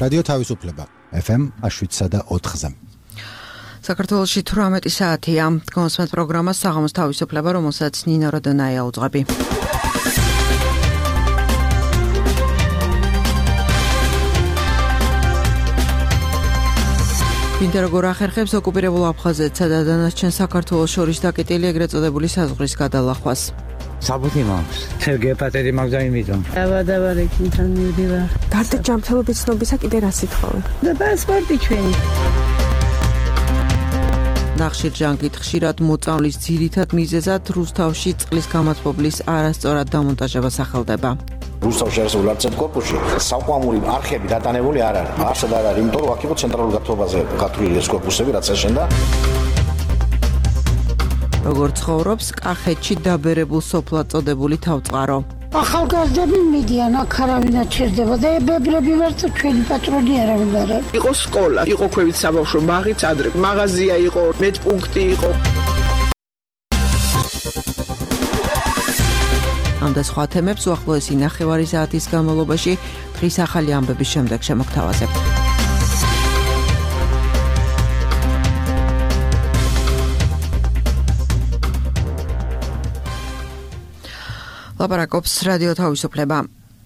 რადიო თავისუფლება FM 7.4-ზე. საქართველოში 18 საათია. კონსმეთ პროგრამა საღამოს თავისუფლება, რომელსაც ნინო როდონაია უძღვები. ვინდა როგორ ახერხებს ოკუპირებულ აფხაზეთსა და დანარჩენ საქართველოს შორის დაკეტილი ეგრეთ წოდებული საზღვრის გადალახვას. საბუთი მაქვს. გეპატიტი მაქვს და იმითომ. დავადაბარეკინთან მივდივარ. გარდა ჯანმრთელობის ცნობისა კიდე რა სიტყვავე? და პასპორტი ჩვენი. ნახშირჯანგით ხშირად მოწამვლის ძირითად მიზეზად რუსთავში წყლის გამათბობლის არასწორად დამონტაჟება სახელდება. რუსთავში არსებულ არცერთ კორპუსში საყვამური არხები დატანებული არ არის. არსად არ არის, იმიტომ რომ აქ იყო ცენტრალურ გათბობაზე გათვლილი ეს კორპუსები, რაც ეშენდა. როგორ ცხოვრობს კახეთში დაბერებულ სოფლად წოდებული თავწყარო. ახალგაზრდები მიდიან, აქ არავინად ჩერდება და ებებრები ვართ, ჩვენი პატრონი არავინ არ არის. იყო სკოლა, იყო ქვევით საბავშვო ბაღიც ადრე, მაღაზია იყო, მეტპუნქტი იყო. ამ და სხვა თემებს უახლოესი ნახევარი საათის განმავლობაში დღის ახალი ამბების შემდეგ შემოგთავაზებთ. ლაპარაკობს რადიო თავისუფლება.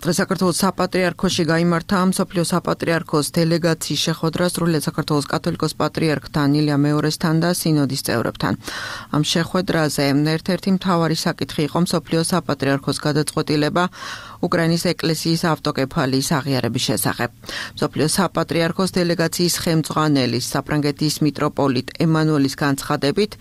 საქართველოს საპატრიარქოში გაიმართა მსოფლიო საპატრიარქოს დელეგაციის შეხვედრა სრულიად საქართველოს კათოლიკოს პატრიარქთან ილია მეორესთან და სინოდის წევრებთან. ამ შეხვედრაზე ერთ-ერთი მთავარი საკითხი იყო მსოფლიო საპატრიარქოს გადაწყვეტილება უკრაინის ეკლესიის ავტოკეფალიის აღიარების შესახებ. მსოფლიო საპატრიარქოს დელეგაციის ხელმძღვანელის საფრანგეთის მიტროპოლიტ ემანუელის განცხადებით,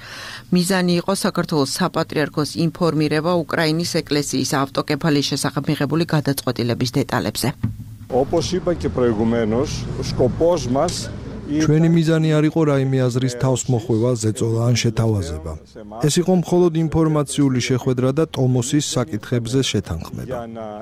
მიზანი იყო საქართველოს საპატრიარქოს ინფორმირება უკრაინის ეკლესიის ავტოკეფალიის შესახებ მიღებული გადაწყვეტილების დეტალებზე. Όπως είπα και προηγουμένως, ο σκοπός μας ჩვენი მიზანი არ იყო რაიმე აზრის თავსმოხვევა, ზეწოლა ან შეთავაზება. ეს იყო მხოლოდ ინფორმაციული შეხვედრა და ტომოსის საკითხებზე შეთანხმება.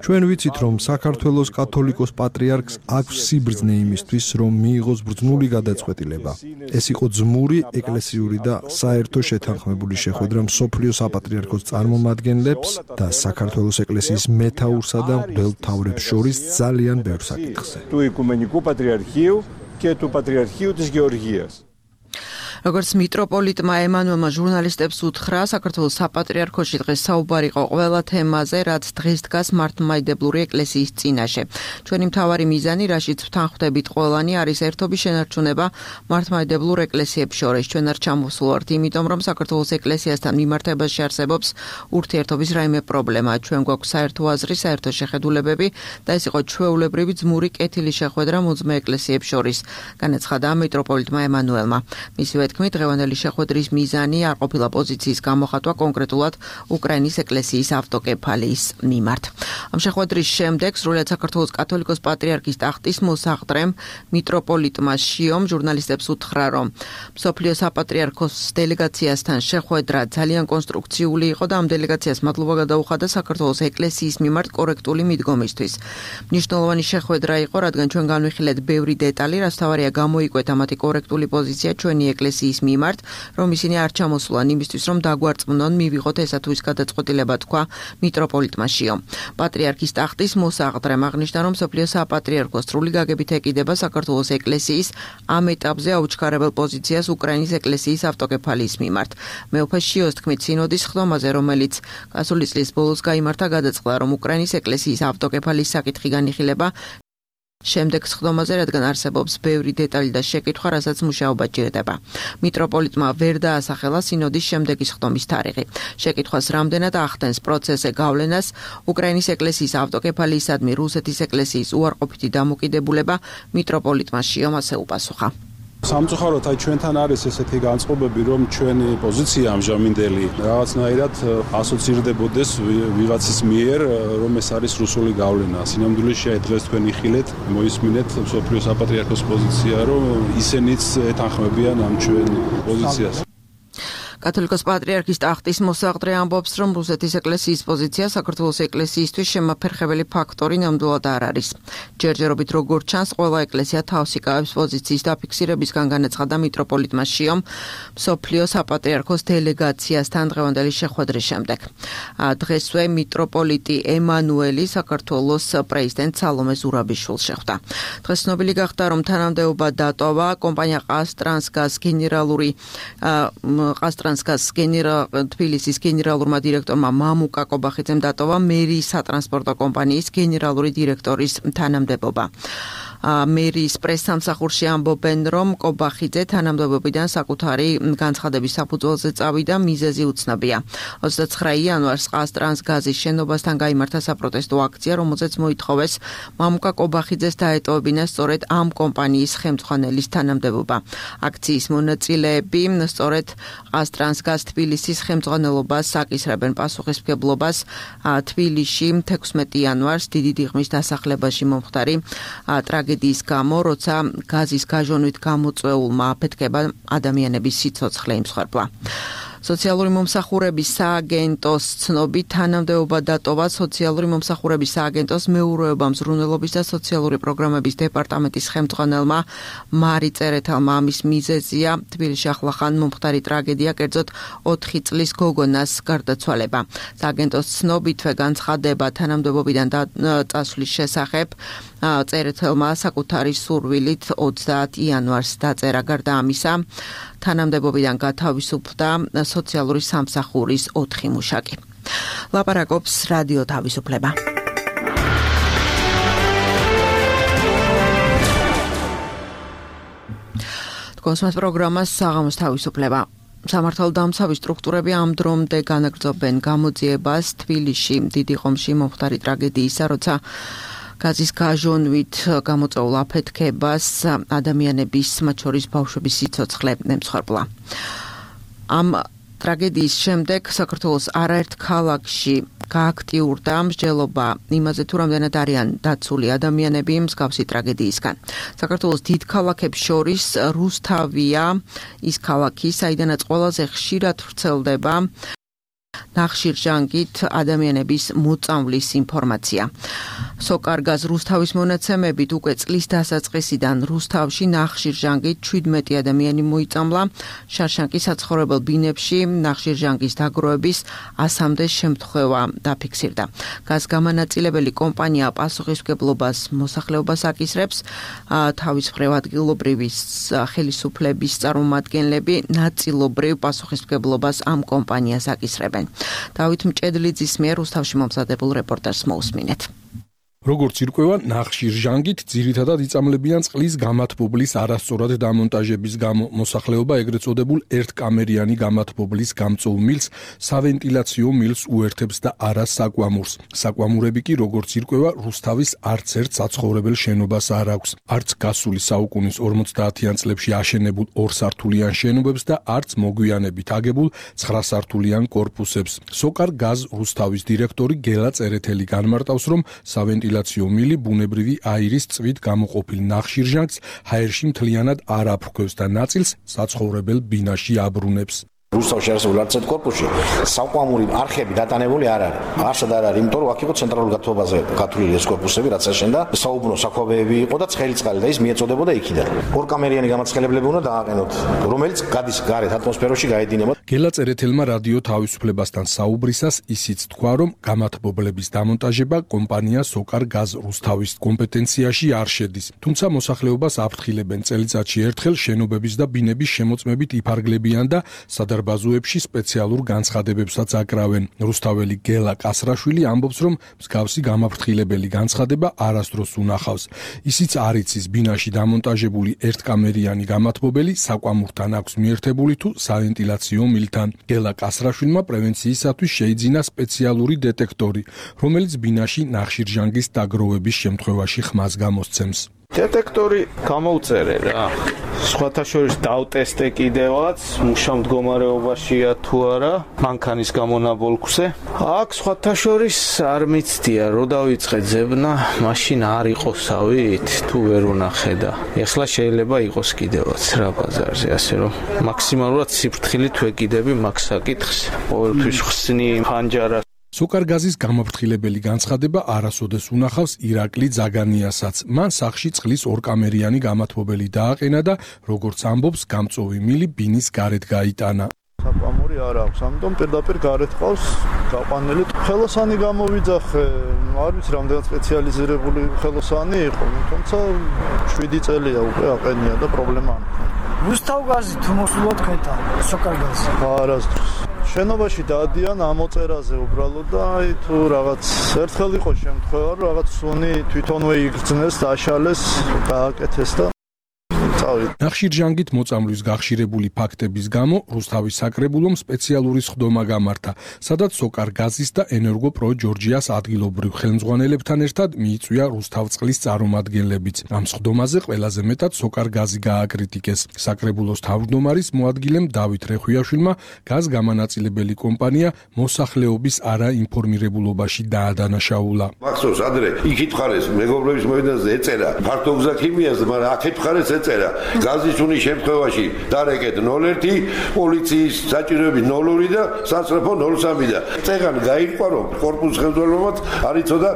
ჩვენ ვიცით, რომ საქართველოს კათოლიკოს პატრიარქს აქვს სიბრძნე იმისთვის, რომ მიიღოს ბრძნული გადაწყვეტილება. ეს იყო ძმური, ეკლესიური და საერთო შეთანხმებული შეხვედრა მსოფლიო საპატრიარქოს წარმომადგენლებს და საქართველოს ეკლესიის მეთაურსა და მღვდელმთავრებს შორის ძალიან ბევრ საკითხზე. του Οικουμενικού Πατριαρχείου και του Πατριαρχείου της Γεωργίας. როგორც მიტროპოლიტმა ემანუელმა ჟურნალისტებს უთხრა, საქართველოს საპატრიარქოში დღეს საუბარი იყო ყველა თემაზე, რაც დღეს დგას მართლმადიდებლური ეკლესიის წინაშე. ჩვენი მთავარი მიზანი, რაშიც ვთანხმდებით ყველანი, არის ერთობის შენარჩუნება მართლმადიდებლურ ეკლესიებს შორის. ჩვენ არ ჩამოსულვართ, იმიტომ რომ საქართველოს ეკლესიასთან მიმართებაში არსებობს ურთიერთობის რაიმე პრობლემა. ჩვენ გვაქვს საერთო აზრი, საერთო შეხედულებები და ეს იყო ჩვეულებრივი ძმური კეთილი შეხვედრა მოძმე ეკლესიებს შორის, განაცხადა მიტროპოლიტმა ემანუელმა. მისივე თქმით, დღევანდელი შეხვედრის მიზანი არ ყოფილა პოზიციის გამოხატვა კონკრეტულად უკრაინის ეკლესიის ავტოკეფალიის მიმართ. ამ შეხვედრის შემდეგ სრულიად საქართველოს კათოლიკოს პატრიარქის ტახტის მოსაყდრემ მიტროპოლიტმა შიომ ჟურნალისტებს უთხრა, რომ მსოფლიო საპატრიარქოს დელეგაციასთან შეხვედრა ძალიან კონსტრუქციული იყო და ამ დელეგაციას მადლობა გადაუხადა საქართველოს ეკლესიის მიმართ კორექტული მიდგომისთვის. მნიშვნელოვანი შეხვედრა იყო, რადგან ჩვენ განვიხილეთ ბევრი დეტალი, რაც თავარია გამოიკვეთა მათი კორექტული პოზიცია ჩვენი ეკლესიის მიმართ, რომ ისინი არ ჩამოსულან იმისთვის, რომ დაგვარწმუნონ, მივიღოთ ესა თუ ის გადაწყვეტილება, თქვა მიტროპოლიტმა შიომ. პატრიარქის ტახტის მოსაყდრემ აღნიშნა, რომ მსოფლიო საპატრიარქოს სრული გაგებით ეკიდება საქართველოს ეკლესიის ამ ეტაპზე აუჩქარებელ პოზიციას უკრაინის ეკლესიის ავტოკეფალიის მიმართ. მეუფე შიოს თქმით, სინოდის ხდომაზე, რომელიც გასული წლის ბოლოს გაიმართა, გადაწყდა, რომ უკრაინის ეკლესიის ავტოკეფალიის საკითხი განიხილება შემდეგ სხდომაზე, რადგან არსებობს ბევრი დეტალი და შეკითხვა, რასაც მუშაობა ჭირდება. მიტროპოლიტმა ვერ დაასახელა სინოდის შემდეგი სხდომის თარიღი. შეკითხვას რამდენად ახდენს პროცესზე გავლენას უკრაინის ეკლესიის ავტოკეფალიისადმი რუსეთის ეკლესიის უარყოფითი დამოკიდებულება, მიტროპოლიტმა შიომ ასე უპასუხა. სამწუხაროდ ჩვენთან არის ესეთი განწყობები, რომ ჩვენი პოზიცია ამჟამინდელი რაღაცნაირად ასოცირდებოდეს ვიღაცის მიერ, რომ ეს არის რუსული გავლენა. სინამდვილეში დღეს თქვენ იხილეთ, მოისმინეთ მსოფლიო საპატრიარქოს პოზიცია, რომ ისინიც ეთანხმებიან ამ ჩვენ პოზიციას. კათოლიკოს პატრიარქის ტახტის მოსაყდრე ამბობს, რომ რუსეთის ეკლესიის პოზიცია საქართველოს ეკლესიისთვის შემაფერხებელი ფაქტორი ნამდვილად არ არის. ჯერჯერობით როგორც ჩანს, ყველა ეკლესია თავს იკავებს პოზიციის დაფიქსირებისგან განაცხადა მიტროპოლიტმა შიომ მსოფლიო საპატრიარქოს დელეგაციასთან დღევანდელი შეხვედრის შემდეგ. დღესვე მიტროპოლიტი ემანუელი საქართველოს პრეზიდენტ სალომე ზურაბიშვილს შეხვდა. დღეს ცნობილი გახდა, რომ თანამდებობა დატოვა კომპანია ყაზტრანსგაზ თბილისის გენერალურმა დირექტორმა მამუკა კობახიძემ დატოვა მერიის სატრანსპორტო კომპანიის გენერალური დირექტორის თანამდებობა. მერიის პრესსამსახურში ამბობენ, რომ კობახიძე თანამდებობიდან საკუთარი განცხადების საფუძველზე წავიდა, მიზეზი უცნობია. 29 იანვარს ყაზტრანსგაზის შენობასთან გაიმართა საპროტესტო აქცია, რომელზეც მოითხოვეს მამუკა კობახიძეს დაეტოვებინა სწორედ ამ კომპანიის ხელმძღვანელის თანამდებობა. აქციის მონაწილეები სწორედ ყაზტრანსგაზ თბილისის ხელმძღვანელობას აკისრებენ პასუხისმგებლობას თბილისში 16 იანვარს დიდი დიღმის დასახლებაში მომხდარი ტრაგედიის გამო, როცა გაზის გაჟონვით გამოწვეულმა აფეთქება ადამიანების სიცოცხლე იმსხვერპლა. სოციალური მომსახურების სააგენტოს ცნობით თანამდებობა დატოვა სოციალური მომსახურების სააგენტოს მეურვეობა მზრუნველობის და სოციალური პროგრამების დეპარტამენტის ხელმძღვანელმა მარი წერეთელმა. ამის მიზეზია თბილისში ახლახან მომხდარი ტრაგედია, კერძოდ 4 წლის გოგონას გარდაცვალება. სააგენტოს ცნობითვე განცხადება თანამდებობიდან წასვლის შესახებ წერეთელმა საკუთარი სურვილით 30 იანვარს დაწერა. გარდა ამისა, თანამდებობიდან გათავისუფლდა სოციალური სამსახურის 4 მუშაკი. ლაპარაკობს რადიო თავისუფლება. კონსმას პროგრამას საღამოს თავისუფლება. სამართალდამცავი სტრუქტურები ამ დრომდე განაგრძობენ გამოძიებას თბილისში დიდი ხომში მომხდარი ტრაგედიისა, როცა გაზის გაჟონვით გამოწვეულ აფეთქებას ადამიანების, მათ შორის ბავშვების სიცოცხლე ემსხვერპლა. ამ ტრაგედიის შემდეგ საქართველოს არაერთ ქალაქში გააქტიურდა მსჯელობა იმაზე, თუ რამდენად არიან დაცული ადამიანები მსგავსი ტრაგედიისგან. საქართველოს დიდ ქალაქებს შორის რუსთავია ის ქალაქი, საიდანაც ყველაზე ხშირად ვრცელდება ნახშირჟანგით ადამიანების მოწამვლის ინფორმაცია. სოკარგაზ რუსთავის მონაცემებით უკვე წლის დასაწყისიდან რუსთავში ნახშირჟანგით 17 ადამიანი მოიწამლა. შარშანკის საცხოვრებელ ბინებში ნახშირჟანგის დაგროვების 100-მდე შემთხვევა დაფიქსირდა. გაზგამანაწილებელი კომპანია პასუხისმგებლობას მოსახლეობას აკისრებს. თავის მხრივ ადგილობრივი ხელისუფლების წარმომადგენლები ნაწილობრივ პასუხისმგებლობას ამ კომპანიას აკისრებენ. დავით მჭედლიძის მიერ რუსთავში მომზადებულ რეპორტაჟს მოусმინეთ. როგორც ირკვევა, ნახშირჟანგით ძირითადად იწამლებიან წყლის გამათბობლის არასწორად დამონტაჟების გამო. მოსახლეობა ეგრეთ წოდებულ ერთკამერიანი გამათბობლის გამწვევ მილს სავენტილაციო მილს უერთებს და არა საკვამურს. საკვამურები კი, როგორც ირკვევა, რუსთავის არც ერთ საცხოვრებელ შენობას არ აქვს. არც გასული საუკუნის 50-იან წლებში აშენებულ 2 სართულიან შენობებს და არც მოგვიანებით აგებულ 9 სართულიან კორპუსებს. სოკარგაზ რუსთავის დირექტორი გელა წერეთელი განმარტავს, რომ სავენტილაციო მილი ბუნებრივი აირის წვით გამოყოფილ ნახშირჟანგს ჰაერში მთლიანად არ აფრქვევს და ნაწილს საცხოვრებელ ბინაში აბრუნებს. რუსთავში არსებულ არც ერთ კორპუსში საკვამური არხები დატანებული არ არის. არც არ არის, იმიტომ რომ აქ იყო ცენტრალურ გათბობაზე გათვლილი ეს კორპუსები, რაც აშენდა, საუბნო საქვაბეები იყო და ცხელი წყალი და ის მიეწოდებოდა იქიდან. ორკამერიანი გამაცხელებლები უნდა დააყენოთ, რომელიც გადის გარეთ ატმოსფეროში გაედინება. გელა წერეთელმა რადიო თავისუფლებასთან საუბრისას ისიც თქვა, რომ გამათბობლების დამონტაჟება კომპანია სოკარგაზ რუსთავის კომპეტენციაში არ შედის. თუმცა მოსახლეობას აფრთხილებენ წელიწადში ერთხელ შენობების და ბინების შემოწმებით იფარგლებიან და ბაზუებში სპეციალურ განცხადებებსაც აკრავენ. რუსთაველი გელა კასრაშვილი ამბობს, რომ მსგავსი გამაფრთხილებელი განცხადება არასდროს უნახავს. ისიც არ იცის ბინაში დამონტაჟებული ერთკამერიანი გამათბობელი საკვამურთან აქვს მიერთებული თუ სავენტილაციო მილთან. გელა კასრაშვილმა პრევენციისათვის შეიძინა სპეციალური დეტექტორი, რომელიც ბინაში ნახშირჟანგის დაგროვების შემთხვევაში ხმას გამოსცემს. დეტექტორი გამოუწერე რა. სხვათა შორის დავტესტე კიდევაც, მუშა მდგომარეობაშია თუ არა, მანქანის გამონაბოლქვზე. აქ სხვათა შორის არ მიცდია, რო დავიწყე ძებნა, მაშინ არ იყოსავით, თუ ვერ უნახე და ეხლა შეიძლება იყოს კიდევაც რა ბაზარზე, ასე რომ მაქსიმალურად სიფრთხილით ვეკიდები მაგ საკითხს. ყოველთვის ხსნი ფანჯარა. სოკარგაზის გამაფრთხილებელი განცხადება არასოდეს უნახავს ირაკლი ძაგანიასაც. მან სახლში წყლის ორკამერიანი გამათბობელი დააყენა და როგორც ამბობს, გამწოვი მილი ბინის გარეთ გაიტანა. საკვამური არ აქვს, ამიტომ პირდაპირ გარეთ ყავს გაყვანილი. ხელოსანი გამოვიძახე, არ ვიცი რამდენად სპეციალიზირებული ხელოსანი იყო, თუმცა 7 წელია უკვე აყენია და პრობლემა არ მქონია. რუსთავგაზი თუ მოსულად ქეთა სოკარგაზი? არასდროს. შენობაში დადიან ამოწერაზე უბრალოდ და აი თუ რაღაც ერთხელ იყო შემთხვევა, რომ რაღაც სუნი თვითონვე იგრძნეს, დაშალეს, გააკეთეს და ნახშირჯანგით მოწამვლის გახშირებული ფაქტების გამო რუსთავის საკრებულომ სპეციალური სხდომა გამართა, სადაც სოკარგაზის და ენერგოპრო ჯორჯიას ადგილობრივ ხელმძღვანელებთან ერთად მიიწვია რუსთავწყლის წარმომადგენლებიც. ამ სხდომაზე ყველაზე მეტად სოკარგაზი გააკრიტიკეს. საკრებულოს თავმჯდომარის მოადგილემ დავით რეხვიაშვილმა გაზ გამანაწილებელი კომპანია მოსახლეობის არაინფორმირებულობაში დაადანაშაულა. მახსოვს ადრე იქით ხარეს მეგობრების მოედანზე ეწერა ფართო გზა ქიმიას, მაგრამ აქეთ ხარეს ეწერა გაზის უნის შემთხვევაში დარეკეთ 01 პოლიციის საჭიროები 02 და სასწრაფო 03 და წეგანი გაირკვა რომ კორპუსის ხელმძღვანელობაც არ იცოდა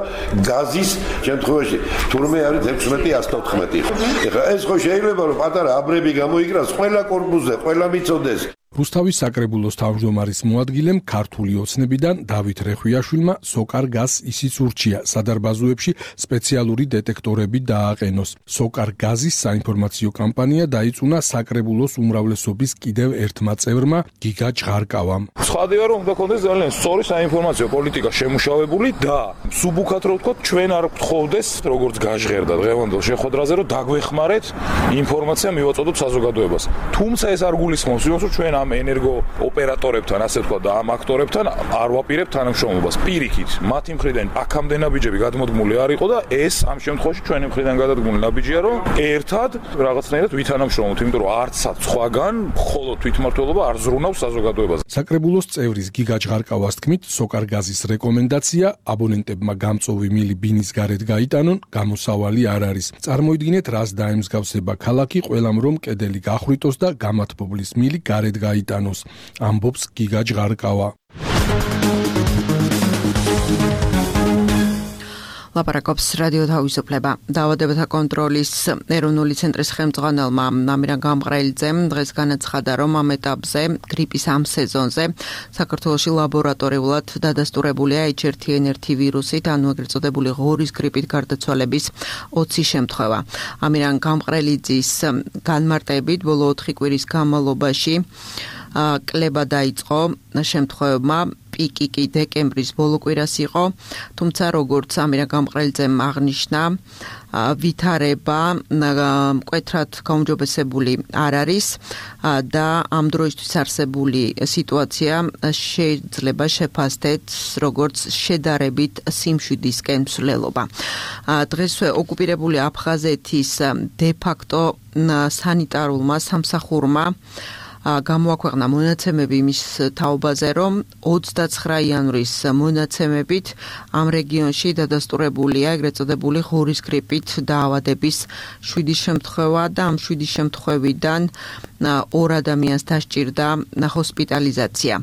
გაზის შემთხვევაში თურმე არის 16-114. ეხლა ეს ხო შეიძლება რომ პატარა აბრები გამოიკრას ყველა კორპუსზე, ყველა მიწოდეს. რუსთავის საკრებულოს თავმჯდომარის მოადგილემ ქართული ოცნებიდან დავით რეხვიაშვილმა სოკარგაზს ისიც ურჩია სადარბაზოებში სპეციალური დეტექტორები დააყენოს. სოკარგაზის საინფორმაციო კამპანია დაიწუნა საკრებულოს უმრავლესობის კიდევ ერთმა წევრმა გიგა ჭღარკავამ. ცხადია რომ უნდა ქონდეს ძალიან სწორი საინფორმაციო პოლიტიკა შემუშავებული და სუბუქად რო ვთქვათ ჩვენ არ გთხოვდეს როგორც გაჟღერდა დღევანდელ შეხვედრაზე რომ დაგვეხმარეთ ინფორმაცია მივაწოდოთ საზოგადოებას. თუმცა ეს არ გულისხმობს იმას რომ ჩვენ ამ ენერგო ოპერატორებთან, ასე ვთქვათ და ამ აქტორებთან არ ვაპირებთ თანამშრომლობას. პირიქით, მათი მხრიდან აქამდე ნაბიჯები გადმოდგმული არ იყო და ეს ამ შემთხვევაში ჩვენი მხრიდან გადადგმული ნაბიჯია, რომ ერთად რაღაცნაირად ვითანამშრომლოთ, იმიტომ რომ არცაც სხვაგან მხოლოდ თვითმმართველობა არ ზრუნავს საზოგადოებას. საკრებულოს წევრის გიგა ჭღარკავას თქმით, სოკარგაზის რეკომენდაცია აბონენტებმა გამწოვი მილი ბინის გარეთ გაიტანონ, გამოსავალი არ არის. წარმოიდგინეთ, რას დაემსგავსება ქალაქი ყველამ რომ კედელი გახვიტოს და გამათბობლის მილი გარეთ გაიტანოს, ამბობს გიგა ჭღარკავა. ლაპარაკობს რადიო თავისუფლება. დაავადებათა კონტროლის ეროვნული ცენტრის ხელმძღვანელმა ამირან გამყრელიძემ დღეს განაცხადა, რომ ამ ეტაპზე გრიპის ამ სეზონზე საქართველოში ლაბორატორიულად დადასტურებულია H1N1 ვირუსით, ანუ ეგრეთ წოდებული ღორის გრიპით გარდაცვალების 20 შემთხვევა. ამირან გამყრელიძის განმარტებით ბოლო 4 კვირის განმავლობაში კლება დაიწყო შემთხვევებმა, პიკი კი დეკემბრის ბოლო კვირას იყო, თუმცა როგორც ამირან გამყრელიძემ აღნიშნა, ვითარება მკვეთრად გაუმჯობესებული არ არის და ამ დროისთვის არსებული სიტუაცია შეიძლება შეფასდეთ როგორც შედარებით სიმშვიდისკენ მსვლელობა. დღესვე ოკუპირებული აფხაზეთის დე-ფაქტო სანიტარულმა სამსახურმა გამოაქვეყნა მონაცემები იმის თაობაზე, რომ 29 იანვრის მონაცემებით ამ რეგიონში დადასტურებულია ეგრეთ წოდებული ღორის გრიპით დაავადების 7 შემთხვევა და ამ 7 შემთხვევიდან 2 ადამიანს დასჭირდა ჰოსპიტალიზაცია.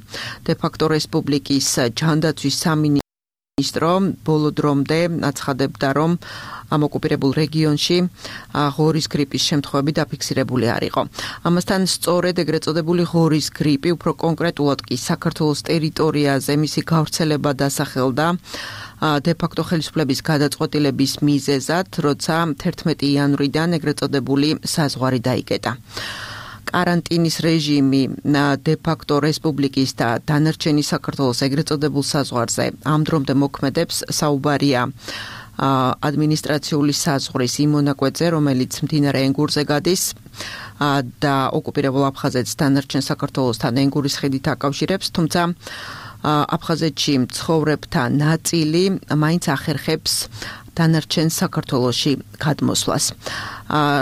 დე-ფაქტო რესპუბლიკის ჯანდაცვის სამინისტრო ბოლო დრომდე აცხადებდა, რომ ამ ოკუპირებულ რეგიონში ღორის გრიპის შემთხვევები დაფიქსირებული არ იყო. ამასთან სწორედ ეგრეთ წოდებული ღორის გრიპი უფრო კონკრეტულად კი საქართველოს ტერიტორიაზე მისი გავრცელება დასახელდა დე-ფაქტო ხელისუფლების გადაწყვეტილების მიზეზად, როცა 11 იანვრიდან ეგრეთ წოდებული საზღვარი დაიკეტა. карантиნის რეჟიმი დე-ფაქტო რესპუბლიკის და დანარჩენი საქართველოს ეგრეთ წოდებულ საზღვარზე ამ დრომდე მოქმედებს. საუბარია ადმინისტრაციული საზღვრის იმ მონაკვეთზე, რომელიც მდინარე ენგურზე გადის და ოკუპირებულ აფხაზეთს დანარჩენ საქართველოსთან ენგურის ხიდით აკავშირებს, თუმცა აფხაზეთში მცხოვრებთა ნაწილი მაინც ახერხებს დანარჩენ საქართველოში გადმოსვლას.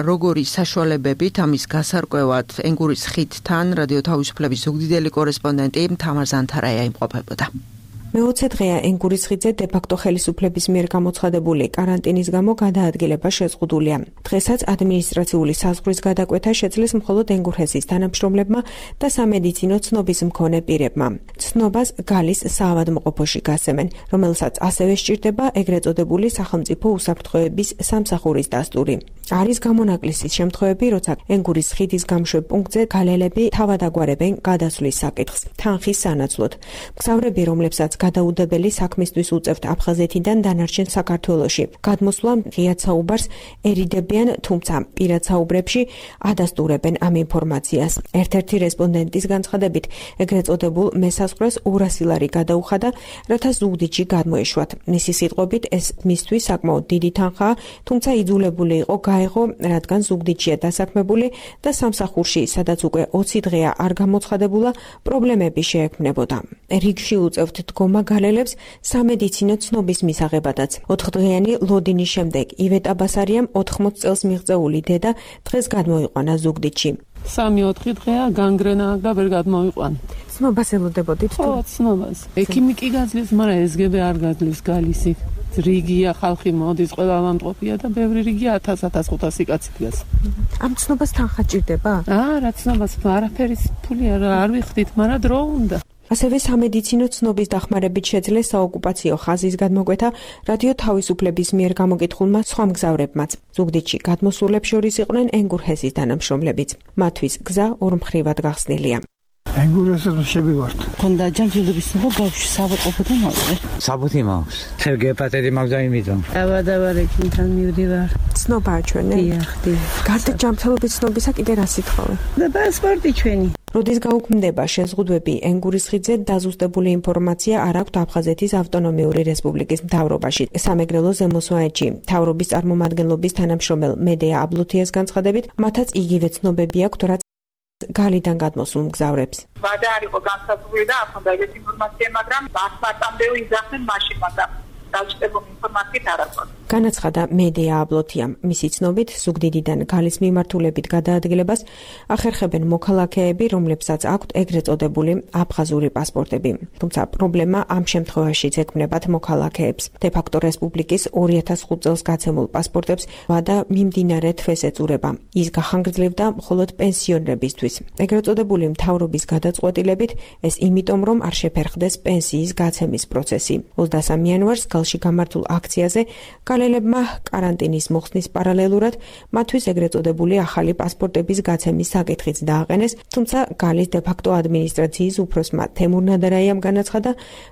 როგორი საშუალებებით ამის გასარკვევად ენგურის ხიდთან რადიო თავისუფლების ზუგდიდელი კორესპონდენტი თამარ ზანთარაია იმყოფებოდა. მე-20 დღეა ენგურის ხიდზე დე-ფაქტო ხელისუფლების მიერ გამოცხადებული კარანტინის გამო გადაადგილება შეზღუდულია. დღესაც ადმინისტრაციული საზღვრის გადაკვეთა შეძლეს მხოლოდ ენგურჰესის თანამშრომლებმა და სამედიცინო ცნობის მქონე პირებმა. ცნობას გალის საავადმყოფოში გასცემენ, რომელსაც ასევე სჭირდება ეგრეთ წოდებული სახელმწიფო უსაფრთხოების სამსახურის დასტური. არის გამონაკლისის შემთხვევები, როცა ენგურის ხიდის გამშვებ პუნქტზე გალელები თავადაგვარებენ გადასვლის საკითხს, თანხის სანაცვლოდ. მგზავრები, რომლებსაც გადაუდებელი საქმისთვის უწევთ აფხაზეთიდან დანარჩენ საქართველოში. გადმოსვლა ღიად საუბარს ერიდებიან, თუმცა პირად საუბრებში ადასტურებენ ამ ინფორმაციას. ერთ-ერთი რესპონდენტის განცხადებით, ეგრეთ წოდებულ მესაზღვრეს 200 ლარი გადაუხადა, რათა ზუგდიდში გადმოეშვათ. მისი სიტყვებით, ეს მისთვის საკმაოდ დიდი თანხაა, თუმცა იძულებული იყო გაეღო, რადგან ზუგდიდშია დასაქმებული და სამსახურში, სადაც უკვე 20 დღეა არ გამოცხადებულა, პრობლემები შეექმნებოდა. რიგში უწევთ დგომა გალელებს სამედიცინო ცნობის მისაღებადაც. 4 დღიანი ლოდინის შემდეგ ივეტა ბასარიამ 80 წელს მიღწეული დედა დღეს გადმოიყვანა ზუგდიდში. 3-4 დღეა განგრენა და ვერ გადმოიყვანა. ცნობას ელოდებოდით? ხო, ცნობას. ექიმი კი გაძლევს, მაგრამ SGB არ გაძლევს გალისი. რიგია ხალხი მოდის, ყველა ამტყופია და ბევრი რიგია 1000-1500 კაცი დგას. ამ ცნობას თანხა ჭირდება? რა ცნობას, არაფერი ფული არ ვიხდით, მაგრამ დრო უნდა. ასევე სამედიცინო ცნობის დახმარებით შეძლეს საოკუპაციო ხაზის გადმოკვეთა რადიო თავისუფლების მიერ გამოკითხულმა სხვა მგზავრებმაც. ზუგდიდში გადმოსულებს შორის იყვნენ ენგურჰესის თანამშრომლებიც. მათთვის გზა ორმხრივად გახსნილია. ენგურჰესს შევივართ. ხონდა ჯანჯილობის ცნობა ბავშვი საბოტყოფოდან ავიღე. საბუთი მაქვს. გეპატიტი მაქვს და იმიტომ. დავადავარეკინთან მივდივარ. ცნობაა ჩვენი? დიახ. გარდა ჯანმრთელობის ცნობისა კიდე რა სიტყვავე? და პასპორტი ჩვენი. როდის გაუქმდება შეზღუდვები ენგურის ხიდზე დაზუსტებული ინფორმაცია არ აქვთ აფხაზეთის ავტონომიური რესპუბლიკის მთავრობაში. სამეგრელო ზემოსვანეთში მთავრობის წარმომადგენლობის თანამშრომელ მედეა აბლუთიას განცხადებით, მათაც იგივე ცნობები აქვთ, რაც გალიდან გადმოსულ მგზავრებს. ვადა არ იყო განსაზღვრული და არ ჰქონდა ეგეთი ინფორმაცია, მაგრამ მართლმარტამდე იძახდნენ მაშინ, მაგრამ დაუჭირებული ინფორმაციით არ აქვს. განაცხადა მედეა აბლოთიამ. მისი ცნობით, ზუგდიდიდან გალის მიმართულებით გადაადგილებას ახერხებენ მოქალაქეები, რომლებსაც აქვთ ეგრეთ წოდებული აფხაზური პასპორტები. თუმცა პრობლემა ამ შემთხვევაშიც ექმნებათ მოქალაქეებს. დე-ფაქტო რესპუბლიკის 2005 წელს გაცემულ პასპორტებს ვადა მიმდინარე თვეს ეწურება. ის გახანგრძლივდა მხოლოდ პენსიონერებისთვის. ეგრეთ წოდებული მთავრობის გადაწყვეტილებით ეს იმიტომ, რომ არ შეფერხდეს პენსიის გაცემის პროცესი. 23 იანვარს გალში გამართულ აქციაზე გალელებმა კარანტინის მოხსნის პარალელურად მათთვის ეგრეთ წოდებული ახალი პასპორტების გაცემის საკითხიც დააყენეს, თუმცა გალის დე-ფაქტო ადმინისტრაციის უფროსმა თემურ ნადარაიამ განაცხადა,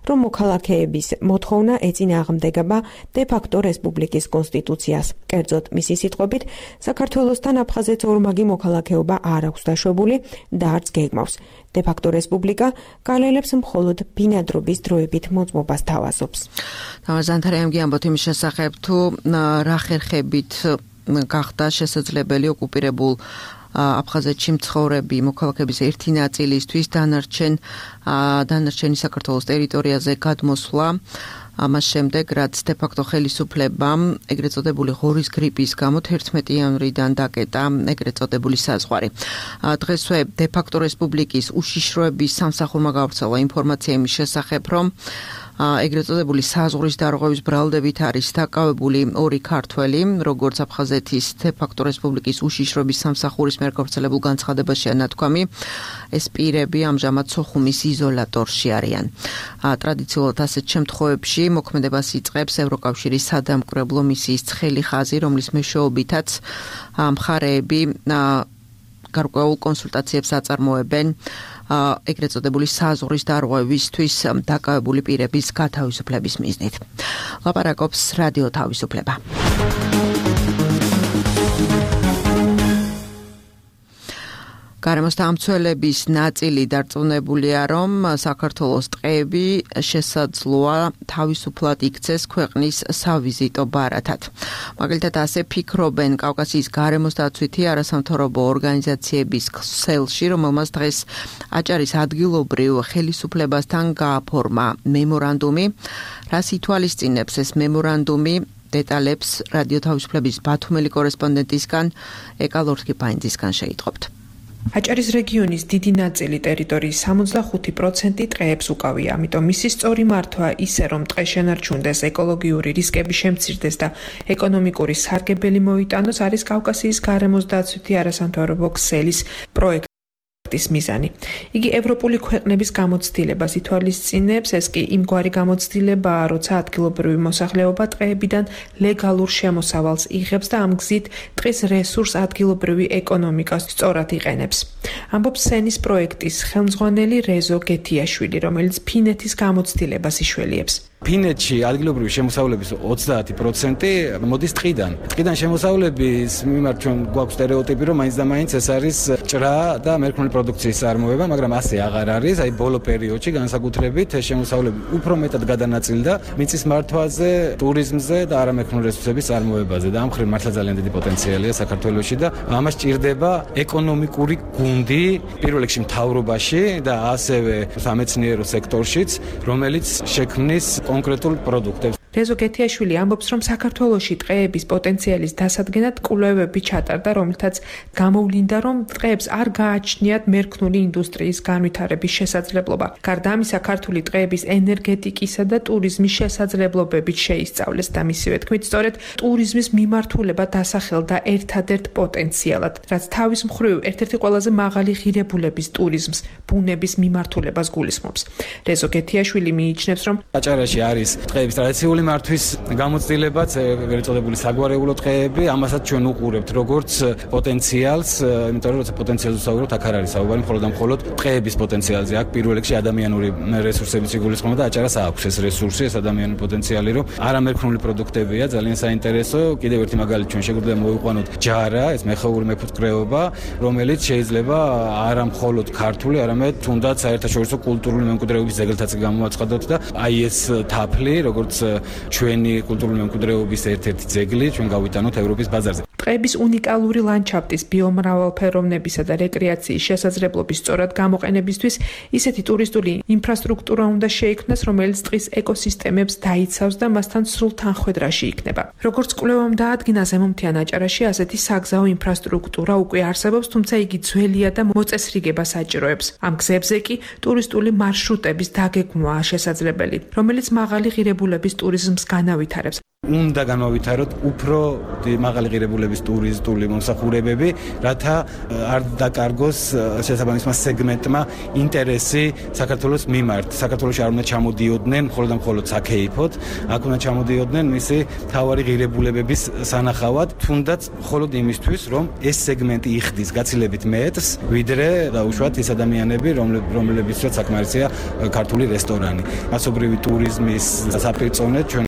რომ მოქალაქეების მოთხოვნა ეწინააღმდეგება დე-ფაქტო რესპუბლიკის კონსტიტუციას. კერძოდ, მისი სიტყვებით, საქართველოსთან აფხაზეთს ორმაგი მოქალაქეობა არ აქვს დაშვებული და არც გეგმავს. დე-ფაქტო რესპუბლიკა გალელებს მხოლოდ ბინადრობის დროებით მოწმობას თავაზობს. ზანთარაიმ გიამბოთ იმის შესახებ, თუ რა ხერხებით გახდა შესაძლებელი ოკუპირებულ აფხაზეთში მცხოვრები მოქალაქეების ერთი ნაწილისთვის დანარჩენი საქართველოს ტერიტორიაზე გადმოსვლა. ამას შემდეგ, რაც დე-ფაქტო ხელისუფლებამ ეგრეთ წოდებული ღორის გრიპის გამო 11 იანვრიდან დაკეტა ეგრეთ წოდებული საზღვარი. დღესვე დე-ფაქტო რესპუბლიკის უშიშროების სამსახურმა გავრცელა ინფორმაცია იმის შესახებ, რომ ეგრეთ წოდებული საზღვრის დარღვევის ბრალდებით არის დაკავებული 2 ქართველი, როგორც აფხაზეთის დე-ფაქტო რესპუბლიკის უშიშროების სამსახურის მიერ გავრცელებულ განცხადებაშია ნათქვამი, ეს პირები ამჟამად სოხუმის იზოლატორში არიან. ტრადიციულად ასეთ შემთხვევებში მოქმედებას იწყებს ევროკავშირის სადამკვირვებლო მისიის ცხელი ხაზი, რომლის მეშვეობითაც მხარეები გარკვეულ კონსულტაციებს აწარმოებენ ეგრეთ წოდებული საზღვრის დარღვევისთვის დაკავებული პირების გათავისუფლების მიზნით. ლაპარაკობს რადიო თავისუფლება. გარემოს დამცველების ნაწილი დარწმუნებულია, რომ საქართველოს ტყეები შესაძლოა თავისუფლად იქცეს ქვეყნის სავიზიტო ბარათად. მაგალითად, ასე ფიქრობენ კავკასიის გარემოს დაცვითი არასამთავრობო ორგანიზაციების ქსელში, რომელმაც დღეს აჭარის ადგილობრივ ხელისუფლებასთან გააფორმა მემორანდუმი, რას ითვალისწინებს ეს მემორანდუმი დეტალებს რადიო თავისუფლების ბათუმელი კორესპონდენტისგან ეკა ლორთქიფაინძისგან შეიტყობთ. აჭარის რეგიონის დიდი ნაწილი ტერიტორიის 65% ტყეებს უკავია, ამიტომ მისი სწორი მართვა ისე რომ ტყე შენარჩუნდეს, ეკოლოგიური რისკები შემცირდეს და ეკონომიკური სარგებელი მოიტანოს არის კავკასიის გარემოს დაცვითი არასამთავრობო ქსელის პროექტი. მიზანი. იგი ევროპული ქვეყნების გამოცდილებას ითვალისწინებს, ეს კი იმგვარი გამოცდილებაა, როცა ადგილობრივი მოსახლეობა ტყეებიდან ლეგალურ შემოსავალს იღებს და ამ გზით ტყის რესურს ადგილობრივი ეკონომიკას სწორად იყენებს. ამბობს სენის პროექტის ხელმძღვანელი რეზო გეთიაშვილი, რომელიც ფინეთის გამოცდილებას იშველიებს. ფინეთში ადგილობრივი შემოსავლების 30% მოდის ტყიდან. ტყიდან შემოსავლების მიმართ ჩვენ გვაქვს სტერეოტიპი, რომ მაინც და მაინც ეს არის ჭრა და მერქნული პროდუქციის წარმოება, მაგრამ ასე აღარ არის. აი ბოლო პერიოდში განსაკუთრებით შემოსავლები უფრო მეტად გადანაწილდა მიწის მართვაზე, ტურიზმზე და არამერქნული რესურსების წარმოებაზე და ამ მხრივ მართლა ძალიან დიდი პოტენციალია საქართველოში და ამას ჭირდება ეკონომიკური გუნდი პირველ რიგში მთავრობაში და ასევე სამეცნიერო სექტორშიც, რომელიც შექმნის კონკრეტულ პროდუქტებს. რეზო გეთიაშვილი ამბობს, რომ საქართველოში ტყეების პოტენციალის დასადგენად კვლევები ჩატარდა, რომელთაც გამოვლინდა, რომ ტყეებს არ გააჩნიათ მერქნული ინდუსტრიის განვითარების შესაძლებლობა. გარდა ამისა, ქართული ტყეების ენერგეტიკისა და ტურიზმის შესაძლებლობებით შეისწავლეს და მისივე თქმით, სწორედ ტურიზმის მიმართულება დასახელდა ერთადერთ პოტენციალად, რაც თავის მხრივ ერთ-ერთი ყველაზე მაღალი ღირებულების ტურიზმს, ბუნების მიმართულებას გულისხმობს. რეზო გეთიაშვილი მიიჩნევს, რომ აჭარაში არის ტყეების ტრადიციული მართვის გამოცდილებაც, ეგრეთ წოდებული საგვარეულო ტყეები, ამასაც ჩვენ უყურებთ როგორც პოტენციალს, იმიტომ რომ როცა პოტენციალზე ვსაუბრობთ, აქ არ არის საუბარი მხოლოდ და მხოლოდ ტყეების პოტენციალზე. აქ პირველ რიგში ადამიანური რესურსებიც იგულისხმება და აჭარას აქვს ეს რესურსი, ეს ადამიანური პოტენციალი, რომ არამერქნული პროდუქტებია, ძალიან საინტერესო. კიდევ ერთი მაგალითი ჩვენ შეგვიძლია მოვიყვანოთ ჯარა, ეს მეხეური მეფუტკრეობა, რომელიც შეიძლება არა მხოლოდ ქართული, არამედ თუნდაც საერთაშორისო კულტურული მემკვიდრეობის ძეგლთაც გამოაცხადოთ და აი ეს თაფლი, როგორც ჩვენი კულტურული მემკვიდრეობის ერთ-ერთი ძეგლი ჩვენ გავიტანოთ ევროპის ბაზარზე. ტყეების უნიკალური ლანდშაფტის, ბიომრავალფეროვნებისა და რეკრეაციის შესაძლებლობის სწორად გამოყენებისთვის ისეთი ტურისტული ინფრასტრუქტურა უნდა შეიქმნას, რომელიც ტყის ეკოსისტემებს დაიცავს და მასთან სრულ თანხვედრაში იქნება. როგორც კვლევამ დაადგინა, ზემომთიან აჭარაში ასეთი საგზაო ინფრასტრუქტურა უკვე არსებობს, თუმცა იგი ძველია და მოწესრიგებას აჭიროებს. ამ გზებზე კი ტურისტული მარშრუტების დაგეგმვაა შესაძლებელი, რომელიც მაღალი ღირებულების ტურიზმს განავითარებს. უნდა განავითაროთ უფრო მაღალი ღირებულების ტურისტული მომსახურებები, რათა არ დაკარგოს შესაბამისმა სეგმენტმა ინტერესი საქართველოს მიმართ. საქართველოში არ უნდა ჩამოდიოდნენ მხოლოდ და მხოლოდ საქეიფოდ, აქ უნდა ჩამოდიოდნენ მისი მთავარი ღირებულებების სანახავად, თუნდაც მხოლოდ იმისთვის, რომ ეს სეგმენტი იხდის გაცილებით მეტს, ვიდრე დაუშვათ ის ადამიანები, რომლებიცაც საკმარისია ქართული რესტორანი. მასობრივი ტურიზმის საპირწონედ ჩვენ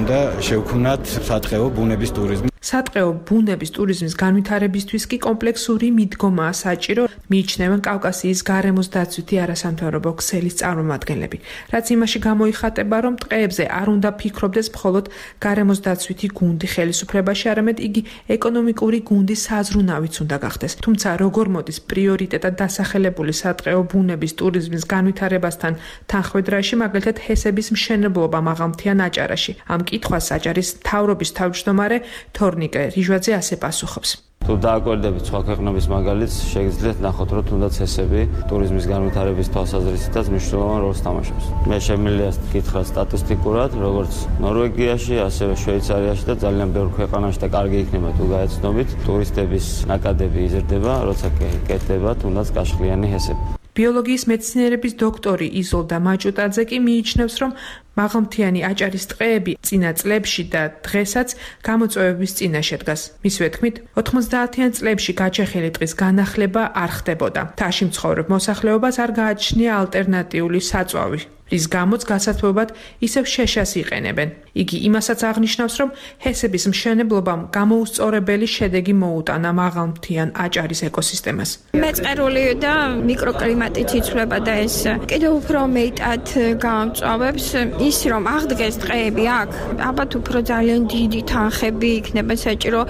და შევქმნათ სატყეო ბუნების ტურიზმი. სატყეო ბუნების ტურიზმის განვითარებისთვის კი კომპლექსური მიდგომაა საჭირო, მიიჩნევენ კავკასიის გარემოს დაცვითი არასამთავრობო ქსელის წარმომადგენლები. რაც იმაში გამოიხატება, რომ ტყეებზე არ უნდა ფიქრობდეს მხოლოდ გარემოს დაცვითი გუნდი ხელისუფლებაში, არამედ იგი ეკონომიკური გუნდის საზრუნავიც უნდა გახდეს. თუმცა როგორ მოდის პრიორიტეტად დასახელებული სატყეო ბუნების ტურიზმის განვითარებასთან თანხვედრაში, მაგალითად ჰესების მშენებლობა მაღალმთიან აჭარაში. ამ კითხვას აჭარის მთავრობის თავმჯდომარე თორნიკე ლიჟვაძე ასე პასუხობს. თუ დააკვირდებით სხვა ქვეყნების მაგალითს, შეგიძლიათ ნახოთ, რომ თუნდაც ჰესები ტურიზმის განვითარების თვალსაზრისითაც მნიშვნელოვან როლს თამაშობს. მე შემიძლია გითხრათ სტატისტიკურად, როგორც ნორვეგიაში, ასევე შვეიცარიაში და ძალიან ბევრ ქვეყანაში და კარგი იქნება თუ გაეცნობით, ტურისტების ნაკადები იზრდება, როცა კეთდება თუნდაც კაშხლიანი ჰესები. ბიოლოგიის მეცნიერების დოქტორი იზოლდა მაჭუტაძე კი მიიჩნევს, რომ მაღალმთიანი აჭარის ტყეები წინა წლებში და დღესაც გამოწვევების წინაშე დგას. მისივე თქმით, 90-იან წლებში გაჩეხილი ტყის განახლება არ ხდებოდა. მთაში მცხოვრებ მოსახლეობას არ გააჩნია ალტერნატიული საწვავი, რის გამოც გასათბობად ისევ შეშას იყენებენ. იგი იმასაც აღნიშნავს, რომ ჰესების მშენებლობამ გამოუსწორებელი შედეგი მოუტანა მაღალმთიან აჭარის ეკოსისტემას. მეწყერული და მიკროკლიმატით იცვლება და ეს კიდევ უფრო მეტად გამწვავებს ის, რომ აღდგეს ტყეები აქ, ალბათ უფრო ძალიან დიდი თანხები იქნება საჭირო,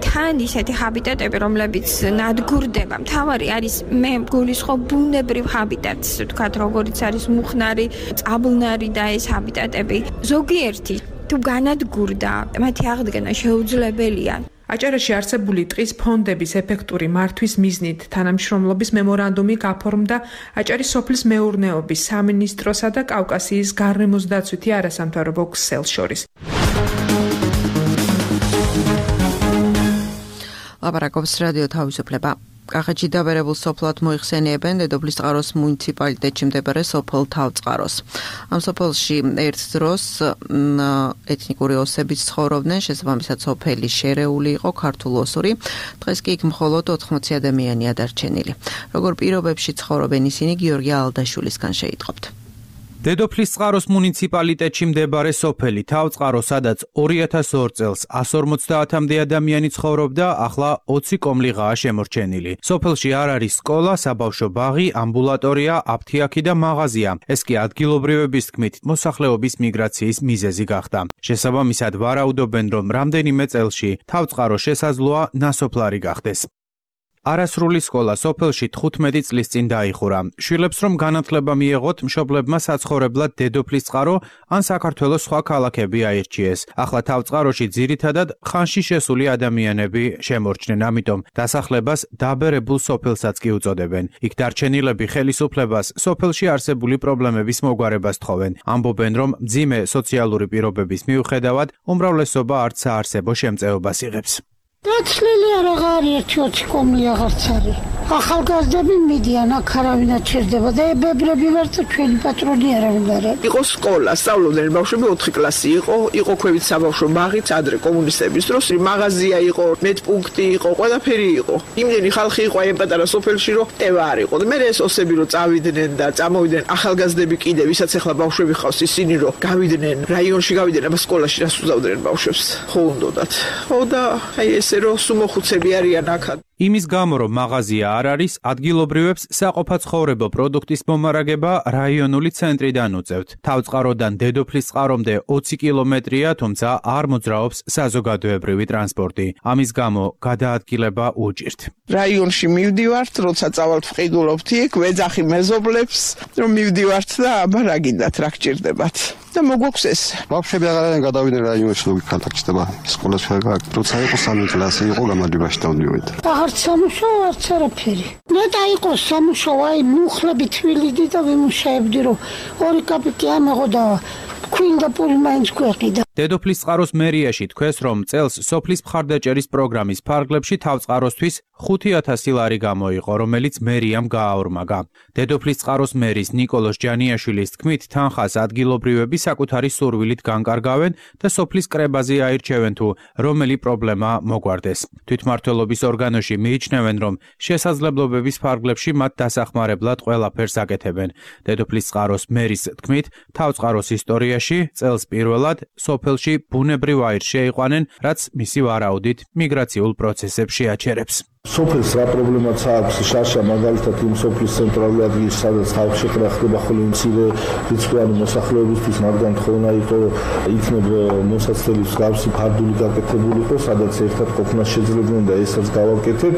თან ისეთი ჰაბიტატები, რომლებიც ნადგურდება. მთავარი არის მე გულისხმობ ბუნებრივ ჰაბიტატს, ვთქვათ, როგორიც არის მუხნარი, წაბლნარი და ეს ჰაბიტატები. ზოგიერთი თუ განადგურდა, მათი აღდგენა შეუძლებელია. აჭარაში არსებული ტყის ფონდების ეფექტური მართვის მიზნით თანამშრომლობის მემორანდუმი გაფორმდა აჭარის სოფლის მეურნეობის სამინისტროსა და კავკასიის გარემოს დაცვითი არასამთავრობო ქსელს შორის. ლაპარაკობს რადიო თავისუფლება. კახეთში დაბერებულ სოფლად მოიხსენიებენ დედოფლის წყაროს მუნიციპალიტეტში მდებარე სოფელ თავწყაროს. ამ სოფელში ერთ დროს ეთნიკური ოსებიც ცხოვრობდნენ, შესაბამისად სოფელი შერეული იყო ქართულ-ოსური. დღეს კი იქ მხოლოდ 80 ადამიანია დარჩენილი. როგორ პირობებში ცხოვრობენ ისინი გიორგი ალდაშვილისგან შეიტყობთ. დედოფლის წყაროს მუნიციპალიტეტში მდებარე სოფელი თავწყარო, სადაც 2002 წელს 150-მდე ადამიანი ცხოვრობდა, ახლა 20 კომლიღაა შემორჩენილი. სოფელში არ არის სკოლა, საბავშვო ბაღი, ამბულატორია, აფთიაქი და მაღაზია. ეს კი ადგილობრივების თქმით მოსახლეობის მიგრაციის მიზეზი გახდა. შესაბამისად ვარაუდობენ, რომ რამდენიმე წელში თავწყარო შესაძლოა ნასოფლარი გახდეს. არასრული სკოლა სოფელში 15 წლის წინ დაიხურა. შვილებს რომ განათლება მიეღოთ, მშობლებმა საცხოვრებლად დედოფლის წყარო ან საქართველოს სხვა ქალაქები აირჩიეს. ახლა თავწყაროში ძირითადად ხანში შესული ადამიანები შემორჩნენ, ამიტომ დასახლებას დაბერებულ სოფელსაც კი უწოდებენ. იქ დარჩენილები ხელისუფლებას სოფელში არსებული პრობლემების მოგვარებას თხოვენ. ამბობენ, რომ მძიმე სოციალური პირობების მიუხედავად უმრავლესობა არც საარსებო შემწეობას იღებს. დაცლილი აღარ ერთი 20 კომლი აღარც არის. ახალგაზრდები მიდიან, აქ არავინ არ ჩერდება და ბებრები ვარ და ჩვენი პატრონი არავინ არ არის. იყო სკოლა, სწავლობდნენ ბავშვები 4 კლასი იყო ქვევით საბავშვო ბაღიც ადრე კომუნისტების დროს, მაღაზია იყო, მეტპუნქტი იყო, ყველაფერი იყო. იმდენი ხალხი იყო აი პატარა სოფელში, რომ ტევა არ იყო. და მე ეს ოსები რომ წავიდნენ და წამოვიდნენ ახალგაზრდები კიდე, ვისაც ახლა ბავშვები ხავს ისინი რომ გავიდნენ რაიონში გავიდნენ, აბა სკოლაში რას უზავდნენ ბავშვებს. ხო უნდათ. ხო და აი ეს რომ სუმოხუცები არიან აქად. იმის გამო რომ მაღაზია არ არის, ადგილობრივებს საყოფაცხოვრებო პროდუქტის მომარაგება რაიონული ცენტრიდან უწევთ. თავწყაროდან დედოფლის წყარომდე 20 კილომეტრია, თუმცა არ მოძრაობს საზოგადოებრივი ტრანსპორტი. ამის გამო გადაადგილება უჭირთ. რაიონში მივდივართ, როცა წავალთ ვყიდულობთ იქ, ვეძახი მეზობლებს, რომ მივდივართ და აბა რა გინდათ, რა გჭირდებათ. და მოგვაქვს ეს. ბავშვები აღარ გადავიდნენ რაიონში, რომ კონტაქტდება სკოლაში ვერგა. როცა იყო 3 კლასი იყო გამარჯვებაში დავდივით. აღარც სამუშაო, არც არაფერი. ნეტა იყო სამუშაო, აი მუხლები თვილიდი და ვიმუშაებდი, რომ 2 კაპიკი ამეღო და ქვინდა პური მაინც გვეყიდა. დედოფლის წყაროს მერიაში თქვეს, რომ წელს სოფლის მხარდაჭერის პროგრამის ფარგლებში თავწყაროსთვის 5000 ლარი გამოიყო, რომელიც მერიამ გააორმაგა. დედოფლის წყაროს მერის ნიკოლოზ ჯანიაშვილის თქმით, თანხას ადგილობრივები საკუთარი სურვილით განკარგავენ და სოფლის კრებაზე აირჩევენ თუ რომელი პრობლემა მოგვარდეს. თვითმმართველობის ორგანოში მიიჩნევენ, რომ შესაძლებლობების ფარგლებში მათ დასახმარებლად ყველაფერს აკეთებენ. დედოფლის წყაროს მერის თქმით, თავწყაროს ისტორიაში წელს პირველად სოფელში ბუნებრივ აირს შეიყვანენ, რაც მისი ვარაუდით მიგრაციულ პროცესებს შეაჩერებს. სოფელს რა პრობლემაც აქვს შაშა მაგალითად იმ სოფლის ცენტრალური ადგილი სადაც თავშეკრა ხდება ხოლმე მცირე რიცხვიანი მოსახლეობისთვის მაგრამ თხოვნა იყო იქნებ მოსაცდელი მსგავსი ფარდული გაკეთებულიყო სადაც ერთად ყოფნა შეძლებდნენ და ესაც გავაკეთეთ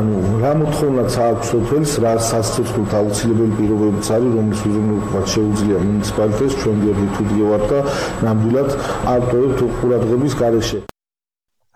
ანუ რა მოთხოვნაც აქვს სოფელს რა სასწრაფოდ აუცილებელი პირობებიც არის რომლის უზრუნველყოფა შეუძლია მუნიციპალიტეტს ჩვენ გვერდით უდიევარ და ნამდვილად ავტორებთ ყურადღების გარეშე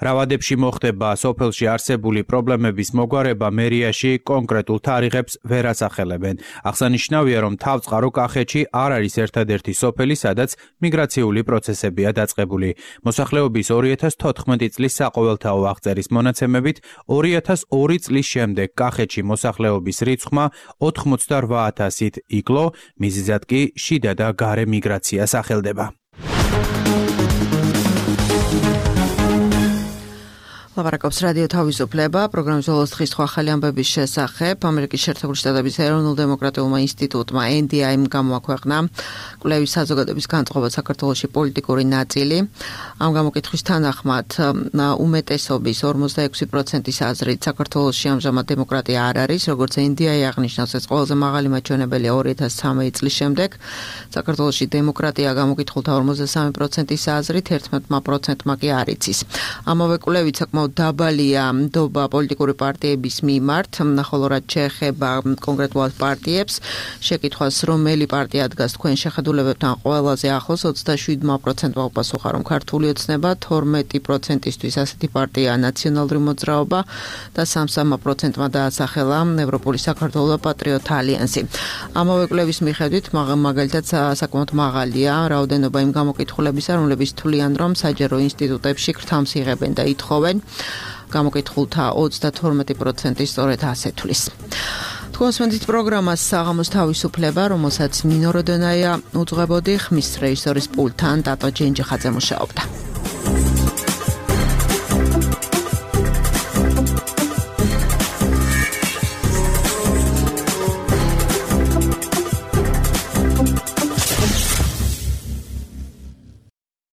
რავადებში მოხდება სოფელში არსებული პრობლემების მოგვარება მერიაში კონკრეტულ თარიღებს ვერ ასახელებენ. აღსანიშნავია, რომ თავწყარო კახეთში არ არის ერთადერთი სოფელი, სადაც მიგრაციული პროცესებია დაწყებული. მოსახლეობის 2014 წლის საყოველთაო აღწერის მონაცემებით 2002 წლის შემდეგ კახეთში მოსახლეობის რიცხვმა 88,000-ით იკლო, მიზეზად კი შიდა და გარე მიგრაცია სახელდება. ლაპარაკობს რადიო თავისუფლება, პროგრამის ბოლოს დღის ახალი ამბების შესახებ. ამერიკის შეერთებული შტატების ეროვნულ-დემოკრატიულმა ინსტიტუტმა NDI-მ გამოაქვეყნა კვლევის საზოგადოების განწყობა საქართველოში პოლიტიკური ნაწილი. ამ გამოკითხვის თანახმად უმეტესობის 46%-ის აზრით საქართველოში ამჟამად დემოკრატია არ არის, როგორც NDI აღნიშნავს, ეს ყველაზე მაღალი მაჩვენებელია 2013 წლის შემდეგ. საქართველოში დემოკრატია გამოკითხულთა 53%-ის აზრით 11%-მა კი არ იცის. ამავე კვლევით საკმაოდ საკმაოდ დაბალია ნდობა პოლიტიკური პარტიების მიმართ, ხოლო რაც შეეხება კონკრეტულად პარტიებს, შეკითხვას რომელი პარტია დგას თქვენ შეხედულებებთან ყველაზე ახლოს 27%-მა უპასუხა, რომ ქართული ოცნება, 12%-ისთვის ასეთი პარტია ნაციონალური მოძრაობა და 33%-მა დაასახელა ევროპული საქართველო და პატრიოტთა ალიანსი. ამავე კვლევის მიხედვით მაგალითად საკმაოდ მაღალია რაოდენობა იმ გამოკითხულებისა, რომლებიც თვლიან, რომ საჯარო ინსტიტუტებში ქრთამს იღებენ და ითხოვენ. გამოკითხულთა 32% სწორედ ასე თვლის. თქვენს მენდით პროგრამას საღამოს თავისუფლება, რომელსაც ნინო როდონაია უძღვებოდი, ხმის რეჟისორის პულტთან დატო ჯენჯიხაძე მუშაობდა.